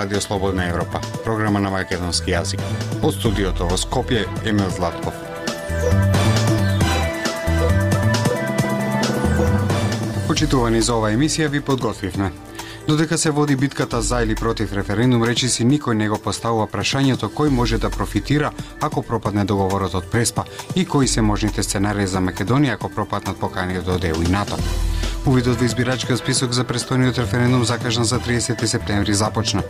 Радио Слободна Европа, програма на македонски јазик. Од студиото во Скопје, Емил Златков. Почитувани за оваа емисија ви подготвивме. Додека се води битката за или против референдум, речиси никој не го поставува прашањето кој може да профитира ако пропадне договорот од Преспа и кои се можните сценарии за Македонија ако пропаднат поканите од ЕУ и НАТО. Увидот во избирачкиот список за престојниот референдум закажан за 30 септември започна,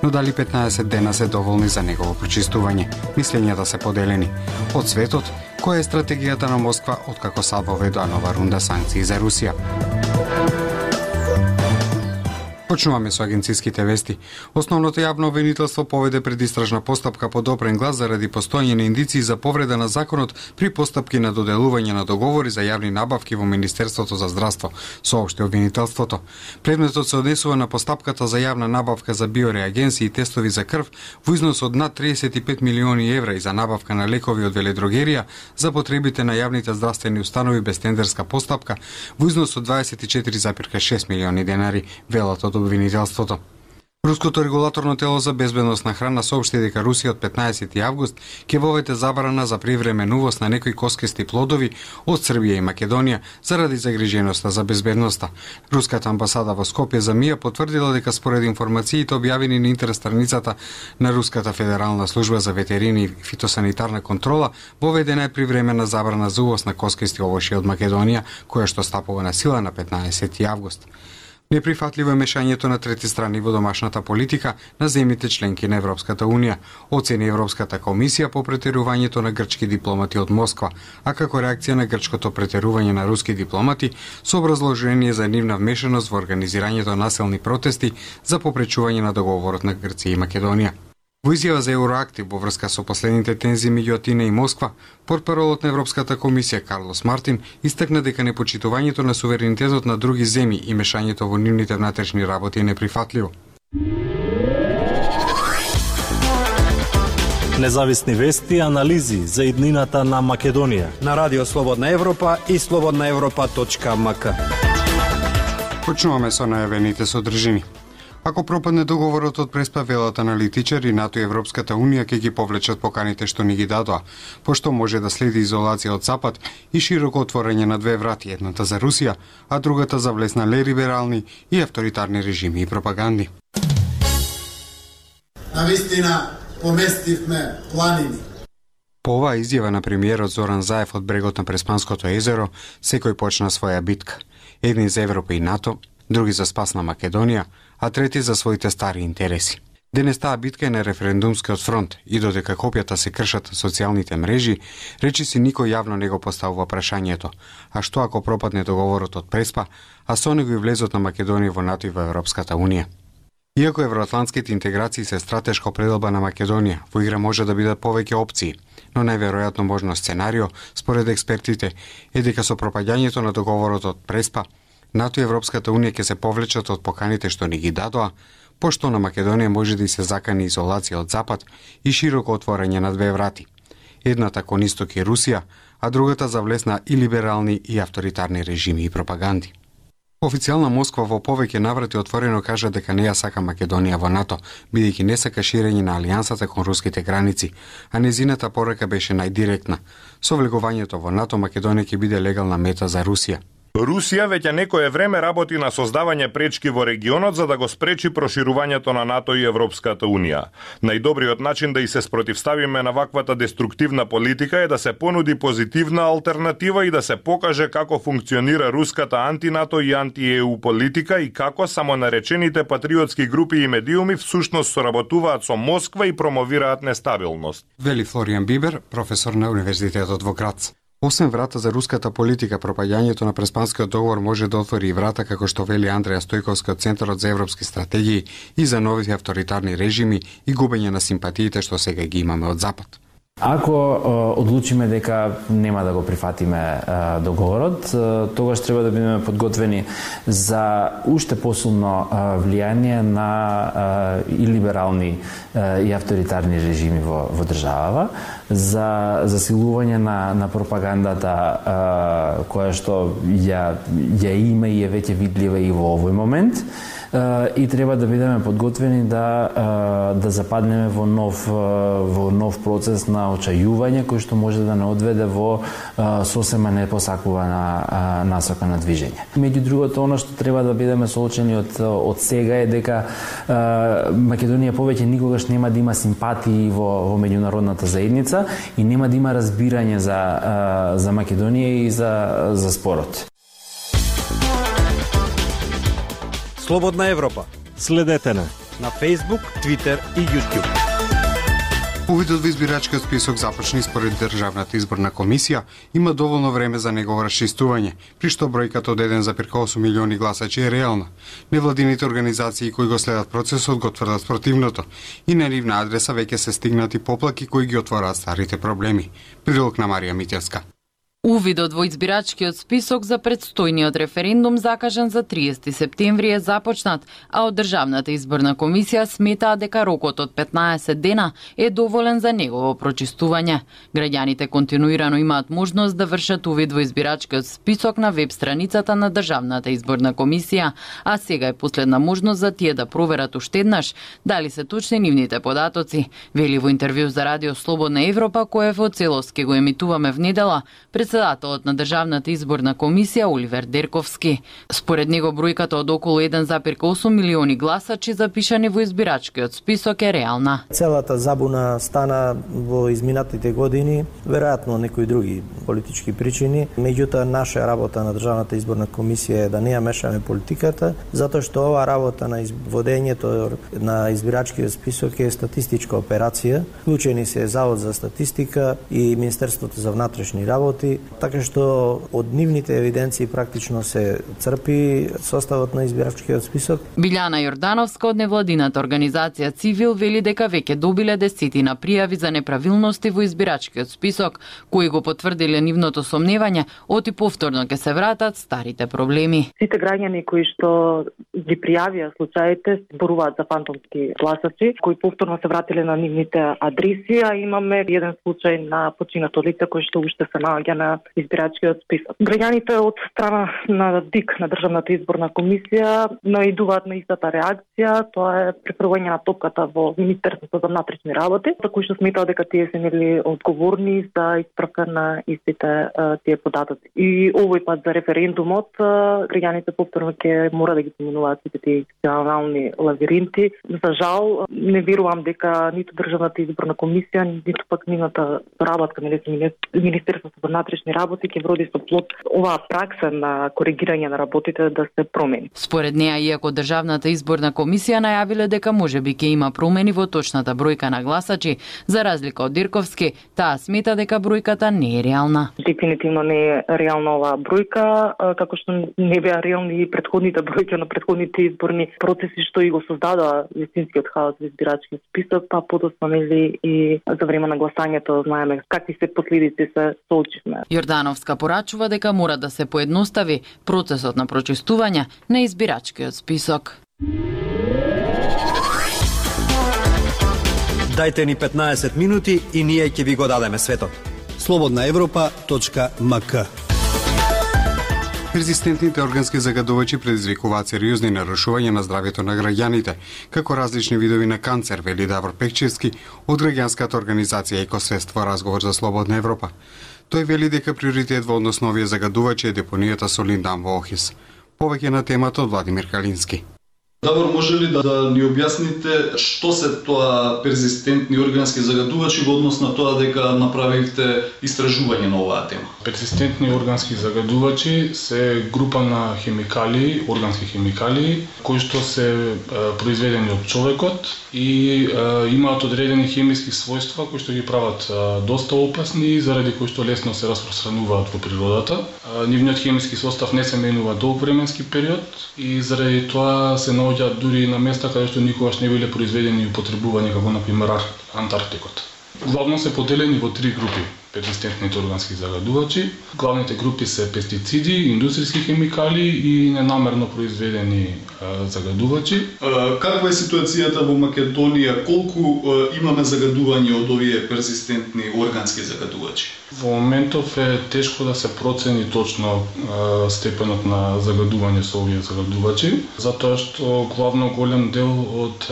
но дали 15 дена се доволни за негово прочистување. Мислењата се поделени. Од светот, која е стратегијата на Москва откако САД воведува нова рунда санкции за Русија? Почнуваме со агенциските вести. Основното јавно обвинителство поведе предистражна постапка по допрен глас заради постојање на индиции за повреда на законот при постапки на доделување на договори за јавни набавки во Министерството за здравство, соопшти обвинителството. Предметот се однесува на постапката за јавна набавка за биореагенси и тестови за крв во износ од над 35 милиони евра и за набавка на лекови од веледрогерија за потребите на јавните здравствени установи без тендерска постапка во износ од 24,6 милиони денари, велат од обвинителството. Руското регулаторно тело за безбедност на храна соопшти дека Русија од 15 август ќе воведе забрана за привремен увоз на некои коскести плодови од Србија и Македонија заради загриженоста за безбедноста. Руската амбасада во Скопје за МИА потврдила дека според информациите објавени на интернет страницата на Руската федерална служба за ветерини и фитосанитарна контрола, воведена е привремена забрана за увоз на коскести овошје од Македонија, која што стапува на сила на 15 август. Неприфатливо е мешањето на трети страни во домашната политика на земјите членки на Европската Унија, оцени Европската комисија по претерувањето на грчки дипломати од Москва, а како реакција на грчкото претерување на руски дипломати со образложение за нивна вмешаност во организирањето насилни протести за попречување на договорот на Грција и Македонија. Во изјава за Евроактив во врска со последните тензии меѓу Атина и Москва, портпаролот на Европската комисија Карлос Мартин истакна дека непочитувањето на суверенитетот на други земји и мешањето во нивните внатрешни работи е неприфатливо. Независни вести и анализи за иднината на Македонија на Радио Слободна Европа и slobodnaevropa.mk. Почнуваме со најавените содржини. Ако пропадне договорот од Преспа, велат аналитичари, НАТО и Европската Унија ќе ги повлечат поканите што ни ги дадоа, пошто може да следи изолација од Запад и широко отворање на две врати, едната за Русија, а другата за влез на либерални и авторитарни режими и пропаганди. Навистина поместивме планини. По оваа изјава на премиерот Зоран Заев од брегот на Преспанското езеро, секој почна своја битка. Едни за Европа и НАТО, други за спас на Македонија, а трети за своите стари интереси. Денес таа битка е на референдумскиот фронт и додека копјата се кршат на социјалните мрежи, речиси никој јавно не го поставува прашањето, а што ако пропадне договорот од Преспа, а со него и влезот на Македонија во НАТО и во Европската Унија. Иако евроатлантските интеграции се стратешка определба на Македонија, во игра може да бидат повеќе опции, но најверојатно можно сценарио, според експертите, е дека со пропаѓањето на договорот од Преспа, НАТО и Европската Унија ќе се повлечат од поканите што ни ги дадоа, пошто на Македонија може да и се закани изолација од Запад и широко отворање на две врати. Едната кон Исток и Русија, а другата за влез на и либерални и авторитарни режими и пропаганди. Официјална Москва во повеќе наврати отворено кажа дека не ја сака Македонија во НАТО, бидејќи не сака ширење на алијансата кон руските граници, а незината порака беше најдиректна. Со влегувањето во НАТО Македонија ќе биде легална мета за Русија. Русија веќе некое време работи на создавање пречки во регионот за да го спречи проширувањето на НАТО и Европската Унија. Најдобриот начин да и се спротивставиме на ваквата деструктивна политика е да се понуди позитивна алтернатива и да се покаже како функционира руската анти-НАТО и анти-ЕУ политика и како самонаречените патриотски групи и медиуми всушност соработуваат со Москва и промовираат нестабилност. Вели Флориан Бибер, професор на Универзитетот во Грац. Освен врата за руската политика, пропаѓањето на Преспанскиот договор може да отвори и врата, како што вели Андреја Стојковски од Центарот за европски стратегии, и за нови авторитарни режими и губење на симпатиите што сега ги имаме од Запад. Ако одлучиме дека нема да го прифатиме договорот, тогаш треба да бидеме подготвени за уште посилно влијание на и либерални и авторитарни режими во државава, за засилување на пропагандата која што ја има и е веќе видлива и во овој момент, и треба да бидеме подготвени да западнеме во нов процес на очајување кој што може да не одведе во сосема непосакувана насока на движење. Меѓу другото, она што треба да бидеме соочени од сега е дека Македонија повеќе никогаш нема да има симпатии во меѓународната заедница и нема да има разбирање за Македонија и за спорот. Слободна Европа. Следете на Facebook, Twitter и YouTube. Увидот во избирачкиот список започни според Државната изборна комисија, има доволно време за негово расчистување, при што бројката од 1,8 милиони гласачи е реална. Невладините организации кои го следат процесот го тврдат спротивното и на нивна адреса веќе се стигнати поплаки кои ги отвораат старите проблеми. Прилог на Марија Митевска. Увидот во избирачкиот список за предстојниот референдум закажан за 30 септември е започнат, а од Државната изборна комисија сметаа дека рокот од 15 дена е доволен за негово прочистување. Граѓаните континуирано имаат можност да вршат увид во избирачкиот список на веб страницата на Државната изборна комисија, а сега е последна можност за тие да проверат уште еднаш дали се точни нивните податоци, вели во интервју за Радио Слободна Европа, кое во целост ќе го емитуваме в недела, председателот на Државната изборна комисија Оливер Дерковски. Според него бројката од околу 1,8 милиони гласачи запишани во избирачкиот список е реална. Целата забуна стана во изминатите години, веројатно некои други политички причини. Меѓутоа, наша работа на Државната изборна комисија е да не ја мешаме политиката, затоа што ова работа на водењето на избирачкиот список е статистичка операција. Вклучени се Завод за статистика и Министерството за внатрешни работи, така што од нивните евиденции практично се црпи составот на избирачкиот список. Билјана Јордановска од невладината организација Цивил вели дека веќе добиле десетина пријави за неправилности во избирачкиот список, кои го потврдиле нивното сомневање, оти повторно ќе се вратат старите проблеми. Сите граѓани кои што ги пријавија случаите зборуваат за фантомски гласачи, кои повторно се вратиле на нивните адреси, а имаме еден случај на починато лице кој што уште се наоѓа на избирачкиот список. Граѓаните од страна на ДИК на Државната изборна комисија наидуваат на истата реакција, тоа е префрлање на топката во Министерството за внатрешни работи, кои што сметаат дека тие се нели одговорни за исправка на истите тие податоци. И овој пат за референдумот граѓаните повторно ќе мора да ги поминуваат сите тие институционални лавиринти. За жал не верувам дека ниту Државната изборна комисија, ниту пак нивната работка на Министерството за внатрешни работи ќе вроди со плод оваа пракса на коригирање на работите да се промени. Според неа, иако Државната изборна комисија најавиле дека можеби ќе има промени во точната бројка на гласачи, за разлика од Дирковски, таа смета дека бројката не е реална. Дефинитивно не е реална оваа бројка, како што не беа реални и претходните бројки на претходните изборни процеси што и го создадоа вистинскиот хаос во избирачкиот список, па подоцна нели и за време на гласањето знаеме какви се последици се соочивме. Јордановска порачува дека мора да се поедностави процесот на прочистување на избирачкиот список. Дајте ни 15 минути и ние ќе ви го дадеме светот. slobodnaevropa.mk Резистентните органски загадувачи предизвикуваат сериозни нарушувања на здравјето на граѓаните, како различни видови на канцер, вели Давор Пекчевски од граѓанската организација Екосвест во разговор за Слободна Европа. Тој вели дека приоритет во однос на овие загадувачи е депонијата со линдан во Охис. Повеќе на темата од Владимир Калински. Давор, може ли да ни објасните што се тоа перзистентни органски загадувачи во однос на тоа дека направивте истражување на оваа тема? Перзистентни органски загадувачи се група на хемикали, органски хемикали, кои што се произведени од човекот и имаат одредени хемиски својства кои што ги прават доста опасни, заради кои што лесно се распространуваат во природата. Нивниот хемиски состав не се менува долг временски период и заради тоа се наоѓаат дури на места каде што никогаш не биле произведени и употребувани, како например Антарктикот. Главно се поделени во три групи. перзистентните органски загадувачи. Главните групи се пестициди, индустријски хемикали и ненамерно произведени загадувачи. Каква е ситуацијата во Македонија? Колку имаме загадување од овие перзистентни органски загадувачи? Во моментов е тешко да се процени точно степенот на загадување со овие загадувачи, затоа што главно голем дел од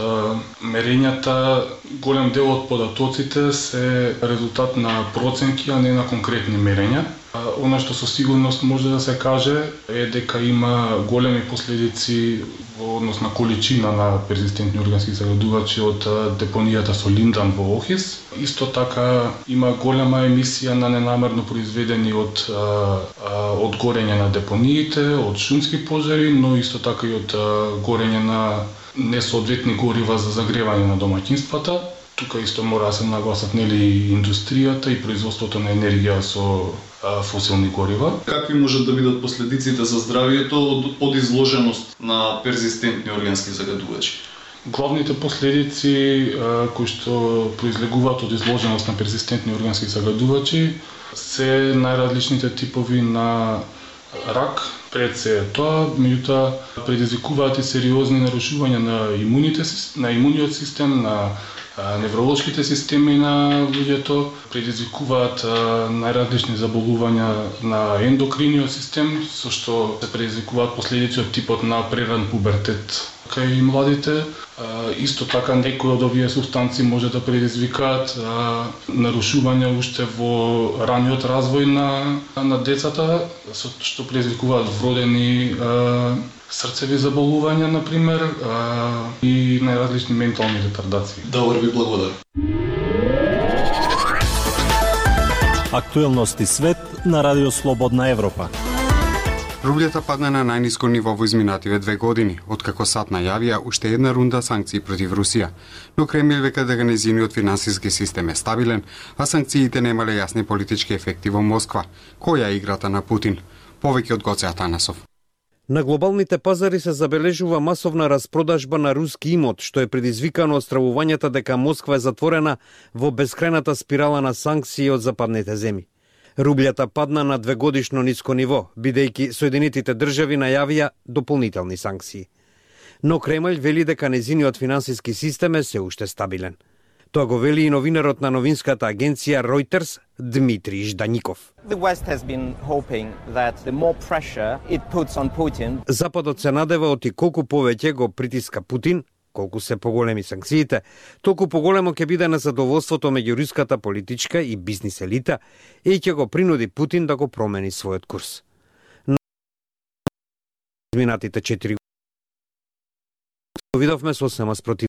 мерењата, голем дел од податоците се резултат на проценки, а не на конкретни мерења. Она што со сигурност може да се каже е дека има големи последици во однос на количина на перзистентни органски загадувачи од депонијата со линдан во Охрид. Исто така има голема емисија на ненамерно произведени од горење на депониите, од шумски пожари, но исто така и од горење на несоодветни горива за загревање на домаќинствата. Тука исто мора да се нагласат нели индустријата и производството на енергија со фосилни горива. Какви можат да бидат последиците за здравието од изложеност на перзистентни органски загадувачи? Главните последици кои што произлегуваат од изложеност на перзистентни органски загадувачи се најразличните типови на рак, пред се тоа, меѓутоа предизвикуваат и сериозни нарушувања на имуниот систем, на невролошките системи на луѓето, предизвикуваат најразлични заболувања на ендокриниот систем, со што се предизвикуваат последици од типот на преран пубертет кај младите. Исто така некои од овие субстанции може да предизвикаат нарушувања уште во раниот развој на децата, со што предизвикуваат вродени срцеви заболувања, например, и најразлични ментални ретардации. Добро, ви благодарам. Актуелности свет на Радио Слободна Европа. Рублјата падна на најниско ниво во изминативе 2 години, откако САД најавија уште една рунда санкции против Русија. Но Кремљ века дека нејзиниот финансиски систем е стабилен, а санкциите немале јасни политички ефекти во Москва. Која е играта на Путин? Повеќе од Гоце Атанасов. На глобалните пазари се забележува масовна распродажба на руски имот, што е предизвикано од стравувањата дека Москва е затворена во бескрајната спирала на санкции од западните земји. Рублјата падна на 2-годишно ниско ниво, бидејќи Соединетите држави најавија дополнителни санкции. Но Кремљ вели дека нејзиниот финансиски систем е се уште стабилен. Тоа го вели и новинарот на новинската агенција Reuters Дмитрий Ждаников. Западот се надева оти колку повеќе го притиска Путин, колку се поголеми санкциите, толку поголемо ќе биде незадоволството меѓу руската политичка и бизнис елита и ќе го принуди Путин да го промени својот курс. На изминатите 4 години видовме сосема спротив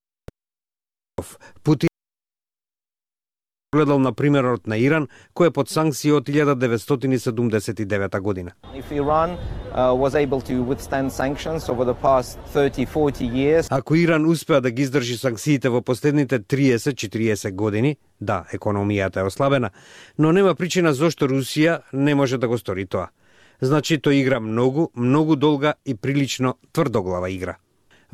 Путин гледал на примерот на Иран, кој е под санкции од 1979 година. Ако Иран успеа да ги издржи санкциите во последните 30-40 години, да, економијата е ослабена, но нема причина зошто Русија не може да го стори тоа. Значи, тој игра многу долга и прилично тврдоглава игра.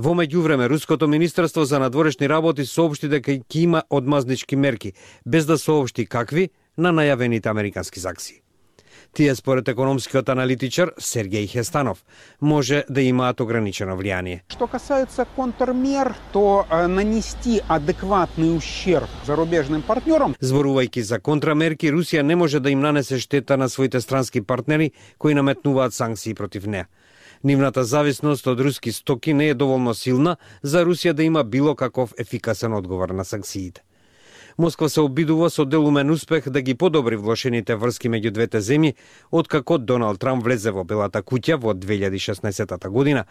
Во меѓувреме, Руското министерство за надворешни работи соопшти дека ќе има одмазнички мерки, без да соопшти какви, на најавените американски санкции. Тие, според економскиот аналитичар Сергеј Хестанов, може да имаат ограничено влијание. Што касаецца контрмер, то нанести адекватни ущерб зарубежним партнерам. Зборувајќи за контрамерки, Русија не може да им нанесе штета на своите странски партнери кои наметнуваат санкции против неа. Нивната зависност од руски стоки не е доволно силна за Русија да има било каков ефикасен одговор на санкциите. Москва се обидува со делумен успех да ги подобри влошените врски меѓу двете земји, откако Доналд Трамп влезе во Белата куќа во 2016 година,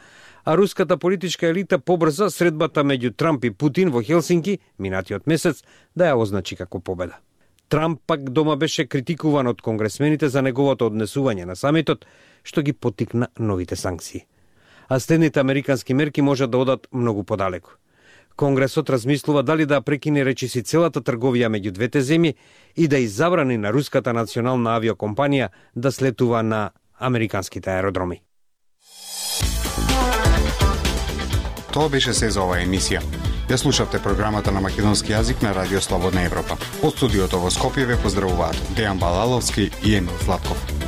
а руската политичка елита побрза средбата меѓу Трамп и Путин во Хелсинки минатиот месец да ја означи како победа. Трамп пак дома беше критикуван од конгресмените за неговото однесување на самитот, што ги поттикна новите санкции. А следните американски мерки можат да одат многу подалеку. Конгресот размислува дали да прекине речиси целата трговија меѓу двете земји и да изабрани на руската национална авиокомпанија да слетува на американските аеродроми. Тоа беше се за оваа емисија. Ја слушавте програмата на македонски јазик на Радио Слободна Европа. Од студиото во Скопје ве поздравуваат Дејан Балаловски и Емил Златков.